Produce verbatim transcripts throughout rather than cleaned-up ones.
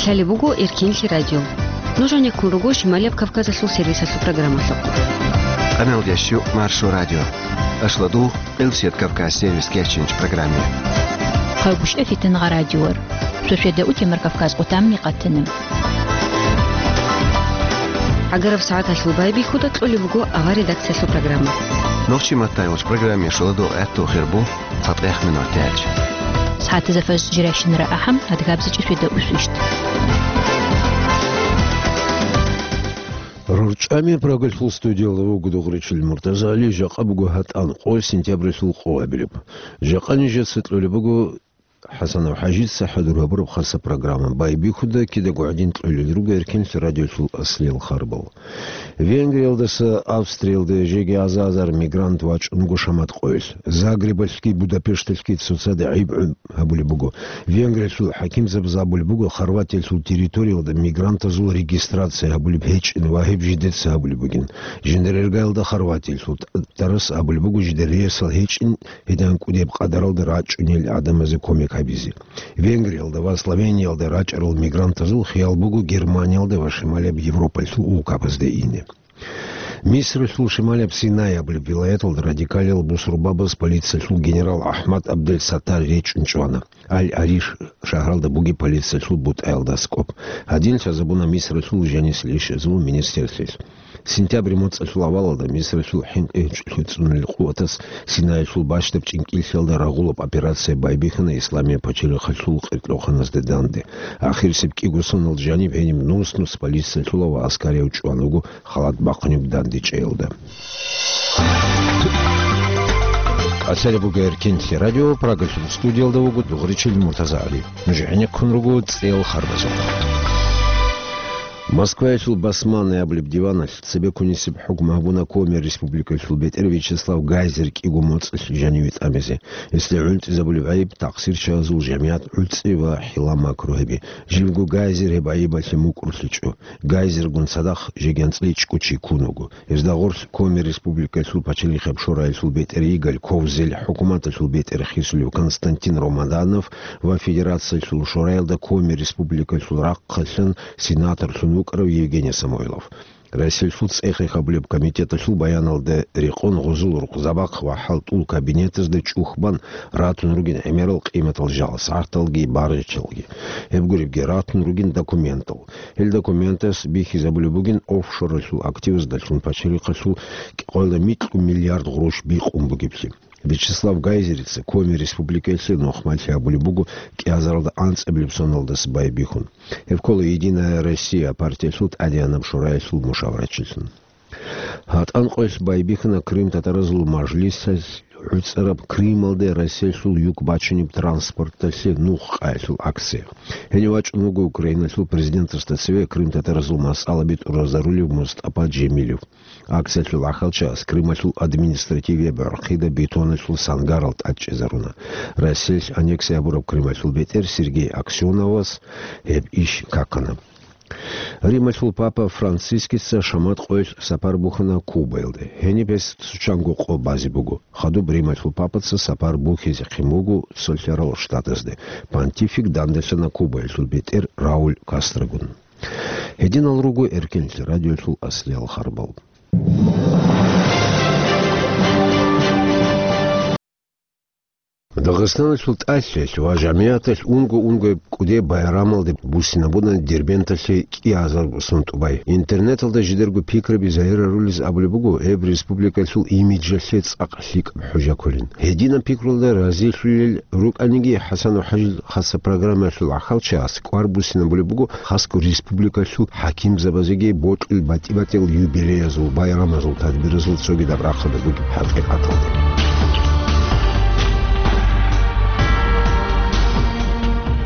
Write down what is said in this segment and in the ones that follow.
Цалеб буго Эркинлъи радио. Нуж гьанеккун руго Шималияб Кавказалъул сервисалъул программалъухъ. Къаналдящу Маршо радио. Ашладу Къилсият Кавказ сервис кечинч программе. Хъагушев Фитнагъа радиор. Шошеда утемар Кавказ къутамни къатана. Агараб сагӀаталъул байбихьуда кьолеб буго авар редакциялъул программа. Нохчи маттайвач программе шоладу гӀатту хирбу. ЦатӀехмин артяч. СагӀатазда фажр жирайщинара ахӀам, адгабзичӀи шведа усвищт. РурчӀами Прагалъул студиялда вуго Дугъричил Муртазали, жакъа буго гьатӀан къо сентябралъул къо абилеб. Жакъа нижеца кьолеб буго ХӀасанов ХӀажица хӀадур гьабураб хаса программа. Байбихьуда кидаго гӀадин кьолел руго Эркинлъи радиолъул аслиял харбал. Венгриялдаса Австриялда жеги аза-азар мигрант вачӀун буго шамат къоялъ. Загребалъги Будапешталъги цоцазда гӀайиб гьабулеб буго. Венгриялъул хӀакимзабаз абулеб буго, Хорватиялъул территориялда мигрантазул регистрация гьабулеб гьечӀин ва гьеб жидеца гьабулеб бугин. Жиндир иргаялда Хорватиялъул тӀ-, тӀарас абулеб буго, жидер рейсал гьечӀин, гьедин кӀудеб къадаралда рачӀунел гӀадамазе кумек гьабизе. Венгриялда ва Словениялда рачӀарал мигрантазул хиял буго Германиялда ва Шималияб Европалъул улкабазде ине. Мисралъул шималияб Синай абулеб вилаяталда радикалиял бусурбабаз полициялъул генерал АхӀмад Абдел Саттар речӀчӀун чӀвана. Аль-Ариш шагьаралда бугеб полициялъул бутӀаялда аскӀоб. Гьадин лъазабуна Мисралъул жанисел ишазул министрлъилъ. Сентябрь моцӀалъул авалалда Мисралъул хӀинкъи гьечӀолъи цӀунулел къуватас Синаялъул бащдаб чӀинкӀиллъиялда рагъулаб операция байбихьана Исламияб пачалихъалъул къиркьоханазде данде. Ахирисеб кӀиго сонал жаниб гьениб нус-нус полициялъула ва аскарияв чӀван вуго халат бахъунеб дандечӀеялда. Асали буго Эркинлъи радио, Прагалъул студиялда вуго Дугъричил Муртазагьали. Нуж гӀенеккун руго цӀел харбазухъ. Москваялъул Басманный абулеб диваналъ цебеккунисеб хӀукму гьабуна Коми Республикалъул бетӀер Вячеслав Гайзер кӀиго моцӀалъ жаниве тӀамизе. Гьесде гӀунтӀизабулеб гӀайиб, такъсирчагьазул жамигӀат гӀуцӀи ва хӀила-макру гьеби. Живго Гайзер гьеб гӀайибалъе мукӀурлъичӀо. Гайзергун цадахъ жеги анцӀила ичӀго чи ккун вуго. Гьезда гъорлъ Коми Республикалъул пачалихъаб шораялъул бетӀер Игорь Ковзель, хӀукуматалъул бетӀер хисулев Константин Ромаданов ва Федерациялъул шораялда Коми Республикалъул рахъалъан сенаторлъун вукӀарав Евгений Самойлов. Россиялъул цӀехе гьабулеб комитеталъул баяналда рекъон гъузул рукъзабахъ ва хӀалтӀул кабинетазда чӀух бан ратун ругин гӀемерал къиматал жал, сагӀаталги баргъичалги. Гьеб гуребги ратун ругин документал. Гьел документас бихьизабулеб бугин офшоралъул активаздалъун пачалихъалъул къоялда микьго миллиард гъурущ бикъун бугеблъи. Вячеслав Гайзерица Коми Республикаялъе нухмалъи гьабулеб буго кӀиазаралда анцӀабилеб соналдаса байбихьун. Гьеб ккола «Единая Россия» партиялъул тӀадегӀанаб шораялъул мушаварачилъун. ГьатӀан къоялъ байбихьана Крым татаразул мажлисалъ гӀуцӀараб Крымалде Россиялъул юк бачунеб транспорталъе нух къаялъул акция. Гьенив вачӀун вуго Украиналъул президентасда цеве Крым татаразул масъалаби тӀуразарулев Мустапа Джемилев. Акциялъул ахӀалчагӀаз Крымалъул административияб гӀорхъида бетоналъул сангарал тӀадчӀезаруна. Россиялъ аннексия гьабураб Крымалъул бетӀер Сергей Аксеновас гьеб иш какана. Рималъул папа Францискица шамат къоялъ сапар бухьана Кубаялде. Гьениб гьес цо чанго къо базе буго. Хадуб Рималъул папаца сапар бухьизе хъин буго Цолъарал Штатазде. Понтифик дандалъана Кубаялъул бетӀер Рауль Кастрогун. Гьединал руго Эркенлъи радиолъул аслиял харбал. Дагъистаналъул тӀалъиялъ ва жамигӀаталъ унго-унгояб кӀудияб байрамалде буссинабуна Дербенталъе кӀиазарго сон тӀубай. Интернеталда жидерго пикраби загьирарулез абулеб буго, гьеб республикалъул имиджалъе цӀакъ лъикӀаб хӀужа кколин. Гьединаб пикруялда разилъулел рукӀаниги, ХӀасанов ХӀажил хаса программаялъул ахӀалчагӀаз кӀвар буссинабулеб буго, хасго республикалъул хӀакимзабазеги бокьул батӀи-батӀиял юбилеязул, байрамазул, тадбиразул цогидаб рахъалда бугеб хӀакъикъаталда.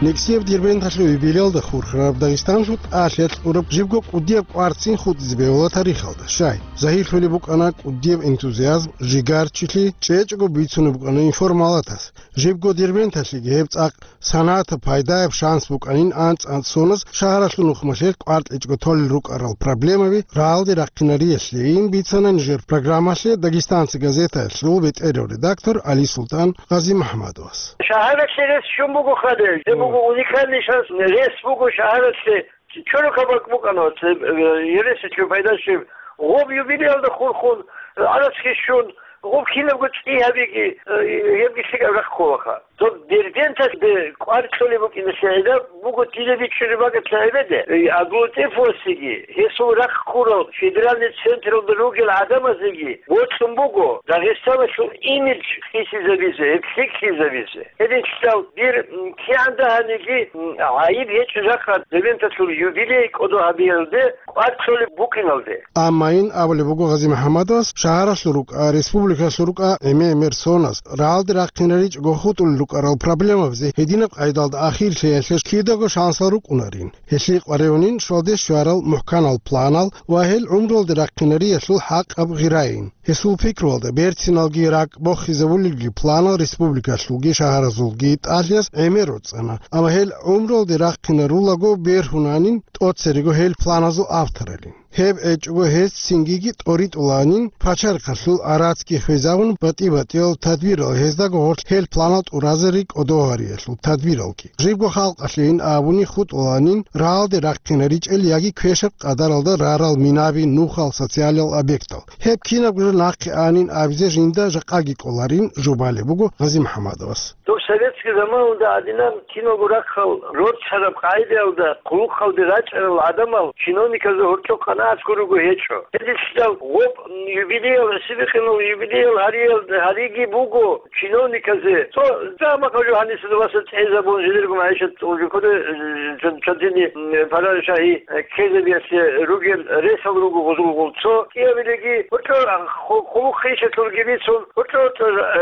Нексияб Дербенталъул юбилеялда хурхараб Дагъистаналъул тӀалъиялъ кьураб жибго кӀудияб кӀварцин хутӀизе бегьула тарихалда. Щай, загьирлъулеб букӀана кӀудияб энтузиазм, жигарчилъи, чӀечӀого бицунеб букӀана информалатас. Жибго Дербенталъеги гьеб цӀакъ санагӀатаб пайдаяб шанс букӀанин анцӀ-анцӀ соназ шагьаралъул нухмалъе кӀвар кьечӀого толел рукӀарал проблемаби рагӀалде рахъинариялъейин бицана нижер программалъе «Дагестанцы» газетаялъул бетӀерав редактор Али Султан Гъазимахмадовас. Шагьаралъе рес щун буго хадур, Уникальный шанс, рес буго шагьаралъе, чорока бакӀ букӀана, э, э, ересилъе пайдалъе, гъоб юбилеялда хурхун, гӀарацги щун, гъоб кинабго цӀи гьабиги, э, гьебги лъикӀаб рахъ кколаха. Доб Дербенталъ кӀвар кьолеб букӀиналъе гӀедаб буго дида бичӀчӀулеб бакӀалъа гӀебеде, э, Абдулатифовасеги, гьесул рахъ ккурал федеральный централда ругел гӀадамазеги бокьун буго Дагъистаналъул имидж хисизабизе, гьеб лъикӀлъизабизе. Гьединлъидал дир, м, кигӀан дагьаниги, м, гӀайиб гьечӀо жакъа Дербенталъул юбилей кӀодо гьабиялде кӀвар кьолеб букӀиналде. Амма ин абулеб буго Гъази МухӀаммадовас, шагьаралъул рукӀа, республикалъул рукӀа гӀемер-гӀемер соназ, рагӀалде рахъинаричӀого хутӀулел рукӀарал проблемабазе гьединаб къайдалда ахирлъиялъе кидаго шансал рукӀунарин. Гьелъие къваригӀунин щвалде щварал мухӀканал планал ва гьел гӀумруялде рахъинариялъул хӀакъаб гъирайин. Гьесул пикруялда берциналги ракӀ бохизабулелги планал республикалъулги шагьаразулги тӀалъиялъ гӀемер роцӀана, амма гьел гӀумруялде рахъинарулаго бергьунанин тӀоцерего гьел планазул авторалин. Гьеб гьечӀого гьес цинги тӀоритӀуланин пачарихъалъул гӀарацги хвезавун батӀи-батӀиял тадбирал, гьездаго гьоркь гьел планал тӀуразари кӀодо гьариялъул тадбиралги. Жибго халкъалъейин абуни хутӀуланин рагӀалде рахъинаричӀел яги квешаб къадаралда рарал минаби, нухал, социалиял объектал. Гьеб кинабго жо нахъе анин абизе жинда жакъаги кӀоларин жубалеб буго Гъази МухӀаммадовас. Доб советский заманалда гӀадинаб киналго рахъал рорцараб къагӀидаялда хъулухъалде рачӀарал гӀадамал чиновниказда гьоркьоб къанагӀат гурого гьечӀо. Гьединлъидал гъоб юбилеял, гӀисибихъинал юбилеял гьариял, гьариги буго чиновниказе. Цо замахъа жо гьанисда васа цӀезабун жидерго магӀишат уже кодо, э, чан-, чантини, м, пара шагьи, э, ккезабиялъе ругел ресал руго гъузулгъул цо кӀиабилеги, гьоркьор ху-, хъулухъ хищалъулги бицун, гьоркьор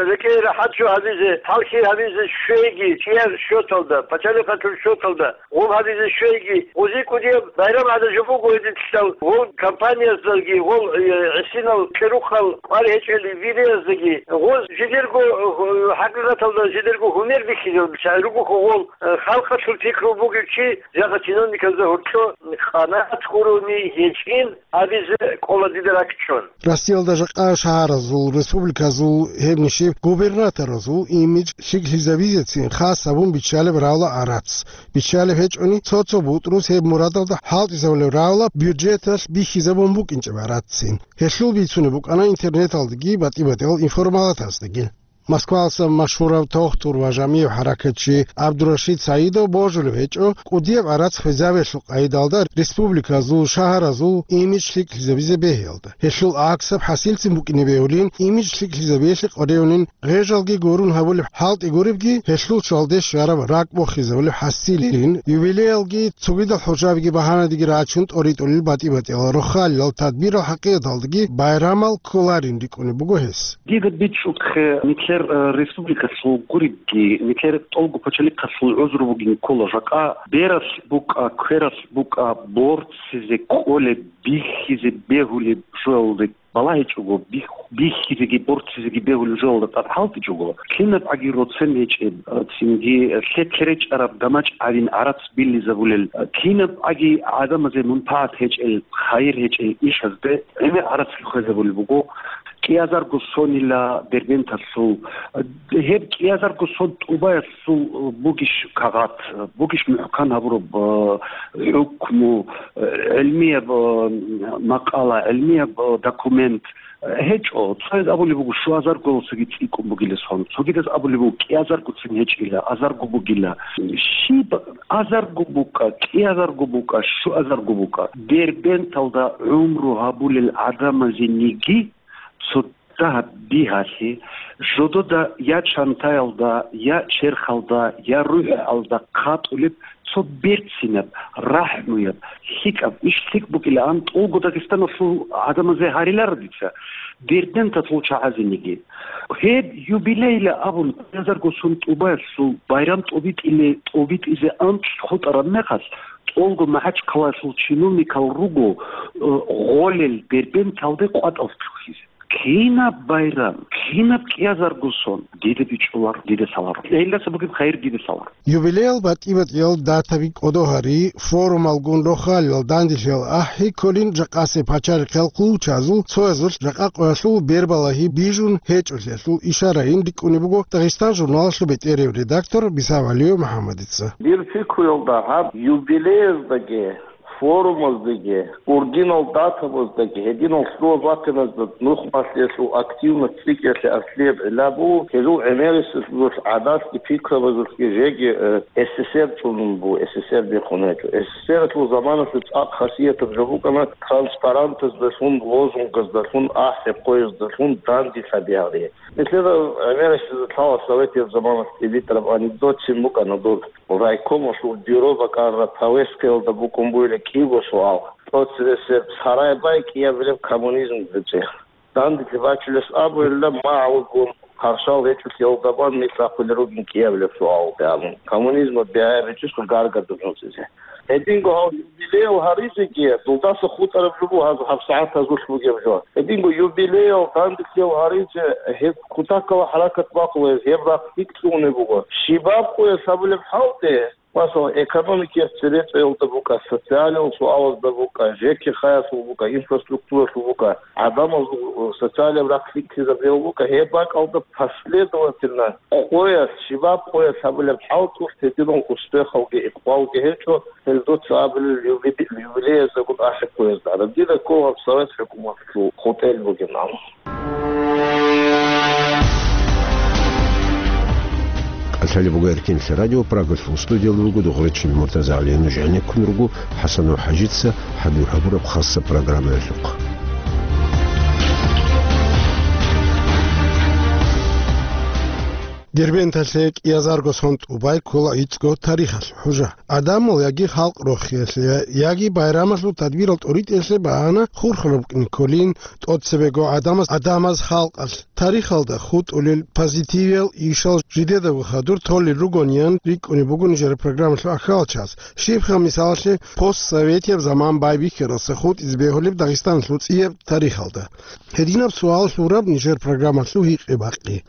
рекӀее рахӀат жо гьабизе, хӀалхьи гьабизе щвейги, чияр счеталда, пачалихъалъул счеталда, гъол гьабизе щвейги, гъузи кӀудияб байрам гӀадажу буго гьединлъидал, гъол компанияздаги, гъол, э, гӀисинал кьерухъал кӀвар гьечӀел вилияздаги, гъоз жидерго, э, хӀакъикъаталда жидерго гьумер бихьизаб, шагьи ругохъо гъол, э, халкъалъул пикру бугев чи, жагъа чиновниказда гьоркьо къанагӀат гурони гьечӀин абизе кӀола дида ракӀчӀун. Россиялда жакъа шагьаразул, республиказул, гьеб нишиб губернаторазул имидж лъикӀлъизабизецин хас гьабун биччалеб равла гӀарац. Биччалеб гьечӀони, цо-цо бутӀрус гьеб мурадалда хӀалтӀизабулеб равла бюджеталъ бихьизабун букӀинчӀеб гӀараццин. Гьелъул бицунеб букӀана интернеталдаги батӀи-батӀиял информалатаздаги. Москвалъа машгьурав тохтур ва жамигӀ хӀаракатчи ГӀабдурашид Саидов божулеб гьечӀо кӀудияб гӀарац хвезабиялъул къайдалда республиказул, шагьаразул имидж лъикӀлъизабизе бегьиялда. Гьелъул гӀаксаб хӀасилцин букӀине бегьулин, имидж лъикӀлъизабиялъе къваригӀунин гъежалги гурун гьабулеб хӀалтӀи гуребги, гьелъул чвалде щвараб ракӀ бохизабулеб хӀасилин, юбилеялги цогидал хӀужабиги багьанадеги рачун тӀоритӀулел батӀи-батӀиял рохалилал тадбирал хӀакъикъаталдаги байрамал кколарин рикӀкӀунеб буго гьес. Дида бичӀчӀухъе, нилъер, э, республикалъул гуребги, нилъер тӀолго пачалихъалъул гӀузру бугин ккола жакъа, бералъ букӀа, квералъ букӀа, борцизе кӀолеб, бихьизе бегьулеб жоялде балагьичӀого, бих-, бихьизеги борцизеги бегьулеб жоялда тӀад хӀалтӀичӀого, кинаб гӀаги роцен гьечӀеб, э, цинги лъе-, лъеречӀараб дамачӀ гьавин гӀарац биллизабулел, э, кинаб гӀаги гӀадамазе мунпагӀат гьечӀел, хайир гьечӀел ишазде гӀемер гӀарацги хвезабулеб буго. КӀиазарго сонила Дербенталъул, гьеб кӀиазарго сон тӀубаялъул бугищ кагъат, бугищ мухӀкан гьабураб, э, хӀукму, э, гӀилмияб, э, макъала, гӀилмияб, э, документ, э, гьечӀо. Цояз абулеб буго, щуазарго цоги цӀикӀкӀун бугила сон, цогидаз абулеб буго, кӀиазаргоцин гьечӀила, азарго бугила. Щиб азарго букӀа, кӀиазарго букӀа, щуазарго букӀа. Дербенталда гӀумру гьабулел гӀадамазениги цо дагьаб бигьалъи, жодода я чантаялда, я черхалда, я рухӀалда хъатӀулеб цо берцинаб, рахӀмуяб, лъикӀаб, иш лъикӀ букӀилаан тӀолго Дагъистаналъул гӀадамазе гьариларо дица, Дербенталъул чагӀазениги. Гьеб юбилейла абун, кӀиазарго сон тӀубаялъул байрам тӀобитӀиле-, тӀобитӀизе анцӀ хутӀараб мехалъ, тӀолго МахӀачхъалаялъул чиновникал руго, э, гъолел Дербенталде къватӀал лъухьизе. Кинаб байрам, кинаб кӀиазарго сон, дида бичӀчӀулар, дида лъаларо. Гьелдаса бугеб хайир дида лъаларо. Юбилеял батӀи-батӀиял датаби кӀодо гьари, форумалгун рохалилал данделъиял ахӀи кколин жакъасеб пачалихъ хъулчазул цоязулъ жакъа къоялъул бербалагьи бижун гьечӀолъиялъул ишарайин рикӀкӀунеб буго Дагъистан журналалъул бетӀерев редактор Биса Валиев МухӀаммадица. Дир пикруялда гьаб юбилеяздаги, форумаздаги, ургинал датабаздаги, гьединал лъугьа-батаназда нух малъиялъул активность цӀикӀкӀиялъе аслияб гӀилла буго, гьезул гӀемерисезулъ гӀадатги пикрабазулъги жеги, э, С С С Р чӀунун буго, С С С Р биххун гьечӀо. С С С Р-алъул заманалъе цӀакъ хасиятаб жо букӀана транспарантаздалъун, лозунгаздаздалъун, ахӀи-хъуяздалъун данде лъабиялъе. Нилъеда гӀемерисезда лъала советияб заманалъ тӀибитӀараб анекдотцин букӀана дур. Райкомалъул бюро бакӀараб повесткаялда букӀун бугила кӀиго суал: тӀоцебесеб сарай бай кӀиабилеб коммунизм гьечӀеб. Данделъи бачулес абуйилан, магӀалгун, хъаршал гьечӀолъиялда бан нилъ ахъулел ругин кӀиабилеб суалалде абун, коммунизмалъ бигьаяб гьечӀищха гаргадулъ нуцӀизе? Гьединго гьав юбилеял гьаризеги, дулдаса хутӀараб жо буго гьаб, гьаб сагӀат гьазулъ бугеб жо. Гьединго юбилеял, данделъиял гьаризе гьеб кутакала хӀаракат бакъулеб, гьеб рахъ лъикӀ лъугьунеб буго. Щибаб къоялъ гьабулеб хӀалде, масала, экономикиялъ цебетӀеялда букӀа, социалиялъул суалазда букӀа, ЖКХ-ялъул букӀа, инфраструктуралъул букӀа, гӀадамазул социалияб рахъ лъикӀлъизабиялъул букӀа, гьеб бакӀалда последовательно къоялъ, щибаб къоялъ гьабулеб хӀалтӀулъ гьединал успехалги икъбалги гьечӀо, гьел дуца абулел юбиле-, юбилеяздагун ахӀи-хъуязда. Гьараб дида ккола гьаб Совет хӀукуматалъул хутӀел бугин абун. КӀалъалеб буго Эркенлъи радио, Прагалъул студиялда вуго Дугъричин МуртазагӀалиев. Нуж гӀенеккун руго ХӀасанов ХӀажица хӀадур гьабураб хасаб программаялъухъ. Дербенталъе кӀиазарго сон тӀубай ккола гӀицӀго тарихалъ хӀужа. Адамал яги халкъ рохиялъе, яги байрамалъул тадбирал тӀоритӀиялъе багьана хурхараб букӀин кколин, тӀоцебего гӀадамаз, гӀадамаз халкъалъ тарихалда хутӀулел позитивиял ишал жидедаго хадур толел ругониян рикӀкӀунеб буго нижер программалъул ахиралда час. Щибха, мисалалъе, постсоветияб заман байбихьаралдаса хутӀизе бегьулеб Дагъистаналъул цӀияб тарихалда? Гьединаб суал лъураб нижер программалъул гьикъи-бакъи.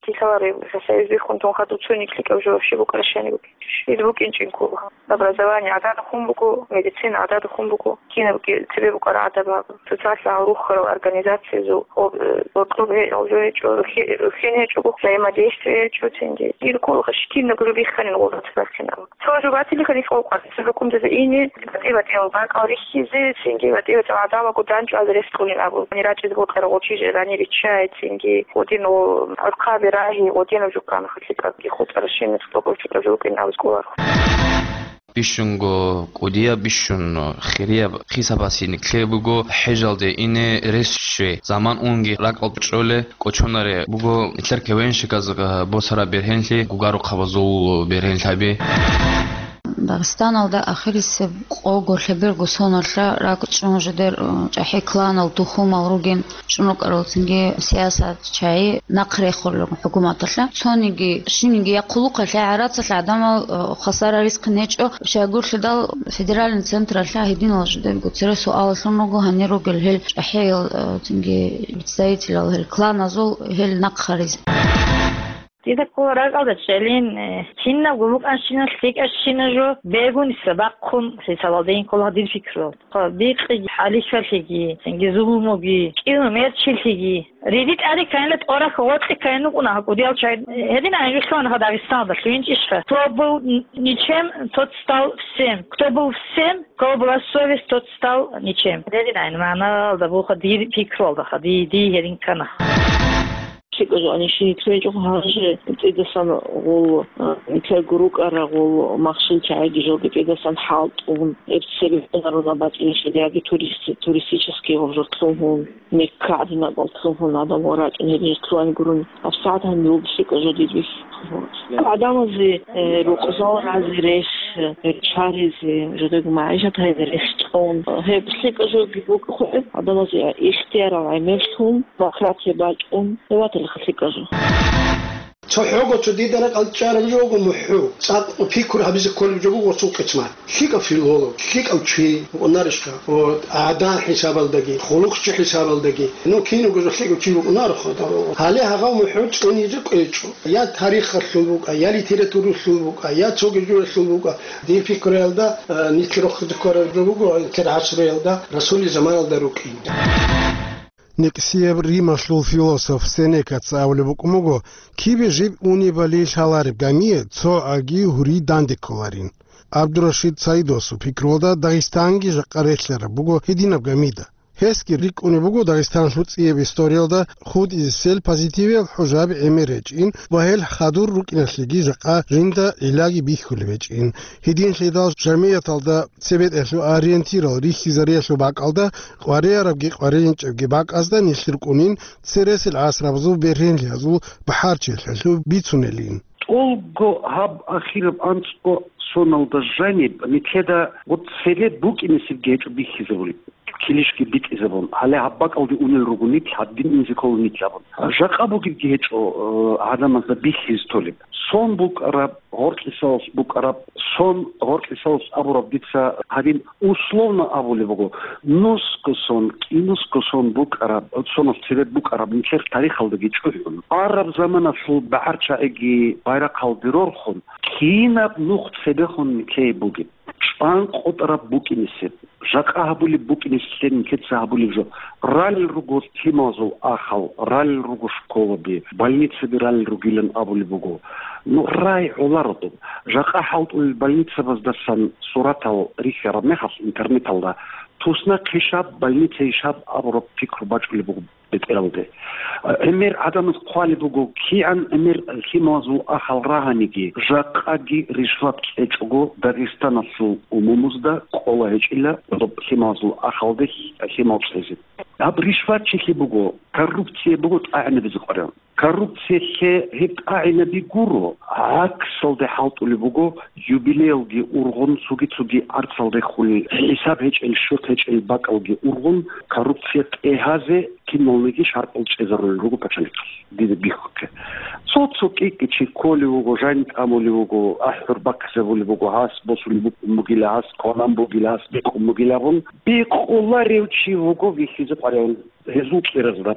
Килъалареб Союз биххун тун хадуб цониги лъикӀаб жо вообще букӀараб щайни букӀинчӀищ? Ил букӀинчӀин ккола. Образование гӀадада хун буго, медицина гӀадада хун буго, кинабги цебе букӀараб гӀадаб гьаб. Социаллъи гьал рухарал организациязул об-, э, бокьоб гьечӀо, жо гьечӀо, рухе-, рухьен гьечӀого, взаимодействие гьечӀо цинги. Ил ккола щиб кинабго жо бихханин гъур рацарахъин абун. Цо жо батилаха нилъ къокъа, цо хӀукуматазе ине, батӀи-батӀиял бакӀал рихьизе, цинги батӀи-батӀиял гӀадамалго данчӀвазе рес кьунин абун. Гьанир рачӀине бокьарал гъочи жирани риччай, цинги гъодин гъоркъаби рагьи, гъодинаб жо ккана хъалъикӀабги хутӀаращинас тӀокӀав чӀукӀав жо вукӀин абуз кӀоларо. Бищунго кӀудияб, бищун хирияб хисабасе никлъе буго хӀежалде ине рес щвей. Заман унги ракӀалда чӀоле кӀочонаре буго нилъер кевенщиказ босараб бергьенлъи, гугарухъабазул бергьенлъаби. Дагъистаналда ахирисеб къого лъеберго соналъа ракӀчӀун жидер, э, чӀахӀи кланал тухумал ругин чӀун рукӀаралцинги сиясатчагӀи нахъ рехулел хӀукуматалъа. Цониги, щибниги я хъулухъалъе, я гӀарацалъе гӀадамал, э, хвасар рискин гьечӀо. Щайгурлъидал федеральный централъа гьединал жидерго цере суалалъун руго гьанир ругел гьел чӀахӀиял, э, цинги представителал гьел кланазул гьел нахъ гьаризе. Дида ккола ракӀалда чӀалин, э, кинабго букӀанщинал лъикӀащина жо бегуниса бахъун хӀисабалдейин ккола дир пикруялда. Бикъиги, хӀалихьалъиги, цинги зулмуги, кӀиго мерчилъиги. Риди тӀаде кканила тӀорахь гъоркье кканин вукӀуна гьаб кӀудиял чагӀи. Гьединан жо лъугьана-ха Дагъистаналда, лъугьинчӀищха? Кто был н-, ничем, тот стал всем. Кто был всем, у кого была совесть, тот стал ничем. Гьединан магӀналда буха дир пикруялдаха, ди, ди гьедин ккана. ЛъикӀа жо анищин итлъугьинчӀого гьанже цӀидасан гъол, а, нилъерго рукӀарагъул махщел чагӀиги жолги цӀидасан хӀалтӀун, гьеб цебе гьунарунаб бацӀцӀиналъе яги турист-, туристический гъоб жо лъугьун, Мекка гӀадинабал лъугьун, гӀадамал рачӀун гьеб жо лъугьан гурун, гьабсагӀат гьаниб буго лъикӀа жо дид бихьулъ. ГӀадамазе, э, рукъзал разе рес, э, чаризе, жодего магӀишат гьайзе рес чӀун, гьеб лъикӀа жоги букӀухъе, гӀадамазе ихтиярал гӀемерлъун, демократия бачӀун, гьев ваталихъа лъикӀа жо. Цо хӀого цо дида ракӀалде чӀараб жо буго мухӀу, цӀакъ пикру гьабизе кколеб жо буго цо къисмат. ЛъикӀав филолог, лъикӀав чи вукӀунарищха? Ва гӀадан хӀисабалдаги, хъулухъчи хӀисабалдаги. Ну, киного жо лъикӀав чи вукӀунаро, хадур. Гьале гьагъав мухӀу цӀунизе кӀвечӀо. Я тарихалъул букӀа, я литературалъул букӀа, я цоги журалъул букӀа. Дир пикруялда, э, нилъер рохизе ккараб жо буго, нилъер гӀасруялда, Расулил заманалда рукӀин. Никсияб Рималъул философ Сенекаца абулеб букӀун буго: «Кибе жиб унебали лъалареб гамие цо аги гьури данде кколарин». Абдурашид Саидосул пикруялда, Дагъистанги жакъа релълъараб буго гьединаб гамида. Гьесги рикӀкӀунеб буго Дагъистаналъул цӀияб историялда хутӀизесел позитивиял хӀужаби гӀемер гьечӀин ва гьел хадур рукӀиналъеги жакъа жинда гӀиллаги бихьулеб гьечӀин. Гьединлъидал жамигӀаталда цебетӀелъул ориентирал рихьизариялъул бакӀалда, къваригӀарабги къваригӀинчӀебги бакӀазда нилъ рукӀунин цересел гӀасрабазул бергьенлъиязул бахӀарчилъиялъул бицунелин. ТӀолго гьаб ахираб анцӀго соналда жаниб нилъеда гъоцебе букӀинесебги гьечӀо бихьизабулеб, килищги битӀизабун. Гьале гьаб бакӀалде унел руго нилъ, гьадин инзе ккола нилъ абун. Жакъа бугебги гьечӀо, э, гӀадамазда бихьизе толеб. Сон букӀараб, гъоркьисалас букӀараб, сон гъоркьисалас абураб дица гьадин условно абулеб буго, нусго сон, кӀинусго сон букӀараб, сонас цебе букӀараб нилъер тарихалдаги чӀухӀун. Араб заманалъул багӀарчагӀиги байрахъалде рорхун, кинаб нух цебехун нилъее бугеб? ЧӀван къотӀараб букӀинесеб, жакъа гьабулеб букӀинеслъе нилъеца гьабулеб жо. Ралел руго лъималазул ахал, ралел руго школаби, больницаби ралел ругилан абулеб буго. Ну, рай гӀоларо доб. Жакъа хӀалтӀулел больницабаздасан суратал рихьараб мехалъ интернеталда, тусна хъишаб, больница ишаб абураб пикру бачӀулеб буго бетӀералде. ГӀемер гӀадамаз хъвалеб буго, кигӀан гӀемер лъималазул ахал рагьаниги, жакъаги ришват кьечӀого Дагъистаналъул умумузда кӀола гьечӀила доб лъималазул ахалде лъимал кьезе. Гьаб ришватчилъи буго, коррупция буго тӀагӀинабизе къваригӀун. Коррупциялъе гьеб тӀагӀинаби гуро, гӀаксалде хӀалтӀулеб буго, юбилеялги ургъун, цоги-цоги арцал рехулел, хӀисаб гьечӀел, счёт гьечӀел бакӀалги ургъун, коррупция тӀегьазе киналниги шартӀал чӀезарулел руго пачалихъалъ, дида бихьухъе. Цо-цо кӀи-кӀи чи кколев вуго, жан тӀамулев вуго, ахӀур баккизабулеб буго, гьас босулеб букӀун бугила, гьас кванан бугила, гьас бикъун бугила абун, бикъуларев чи вуго вихьизе къваригӀун гьезул кьеразда.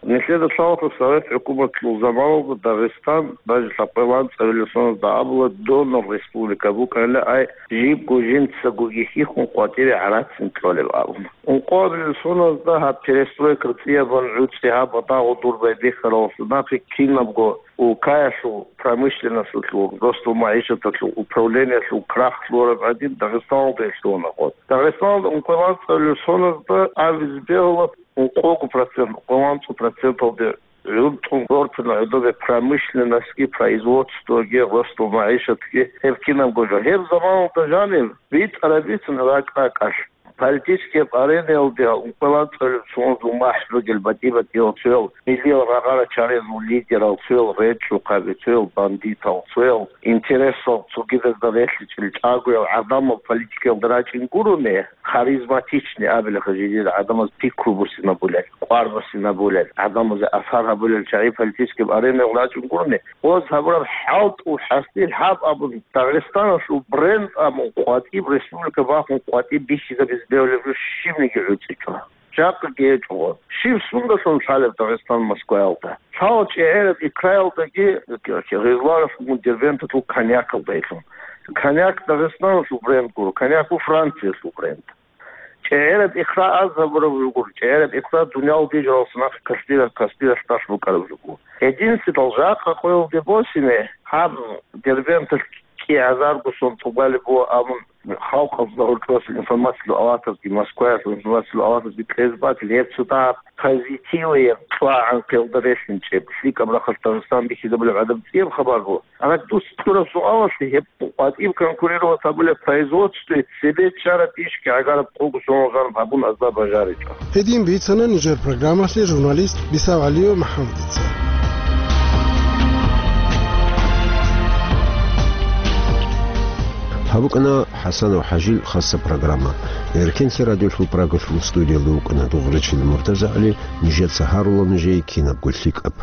Нилъеда лъалаха Совет хӀукуматалъул заманалда Дагъистан, даже лъабкъоялда анцӀабилеб соназда абула, донор республика букӀанила, ай, жибго жинцаго йихьихъун къватӀире гӀарацин кьолеб абун. Ункъоабилеб соназда гьаб перестройка цӀиябун гӀуцӀи гьаб дагъу дур байбихьаралъур нахъе кинабго улкаялъул промышленносталъул, ростул магӀишаталъул управлениялъул крах лъураб гӀадин Дагъистаналда лъугьуна гъоз. Дагъистаналда ункъоялда анцӀабилеб соназда абизе бегьула, ункъого процент, ункъоялда анцӀго проценталде гӀуртӀун гортана гӀодобе промышленностьги, производствоги, ростул магӀишатги, гьеб кинабго жо. Гьеб заманалда жанив битӀараб бицун ракӀ-ракӀалъ. Политический арениялде ункъоялда анцӀабилеб соназул махӀ ругел батӀи-батӀиял цоял, миллиял рагъара чарезул лидерал цоял речӀчӀухъаби, цоял бандитал, цоял интересал цогидазда релълъичӀел чӀагоял гӀадамал политикаялда рачӀин гурони, харизматичный абилаха жидеда гӀадамаз пикру бусинабулел, кӀвар бусинабулел, гӀадамазе асар гьабулел чагӀи политический аренал рачӀун гурони, гъоз гьабураб хӀалтӀул хӀасил гьаб абун Дагъистаналъул бренд абун къватӀиб республика бахун къватӀиб бихьизабизе бегьулеб жо щибниги гӀуцӀичӀо. Жакъаги гьечӀо гъоз. Щиб сундалъун лъалеб Дагъистан Москваялда? Лъала чӀегӀераб икраялдаги, гъизларалъугун Дербенталъул коньякалда гьелъун. Коньяк Дагъистаналъул бренд гуро, коньяк у Франциялъул бренд. ЧӀегӀераб икра аз гьабураб жо гуро, чӀегӀераб икра дуниял дижаралса нахъе касдира-, касдиралъ тӀад букӀараб жо гуро. Гьединлъидал жакъа къоялде босине, гьаб Дербенталъ кӀигӀазарго сон тӀубалеб буго абун, халкъалда гьоркьоса информациялъул аватазги, Москваялъул информациялъул аватазги кьезе батил, гьеб цо дагьаб позитиваяб кьвагӀан къелда релълъинчӀеб, лъикӀаб рахъалъ Дагъистан бихьизабулеб гӀадаб цӀияб хабар буго. Гьанак дус кьураб суалалъе гьеб къватӀиб конкурировать гьабулеб производствоялъе цебе чӀараб ишги гӀагараб къого соналъ гьабун азда бажаричӀо. Гьедин бицана нижер программалъе журналист Бисав ГӀалиев МахӀаммадица. Гьаб букӀана ХӀасанов ХӀажил хасаб программа. Эркенлъи радиолъул Прагалъул студиялда вукӀана Дугърачил МуртазагӀли, нижеца гьарула нужее кинабго лъикӀаб.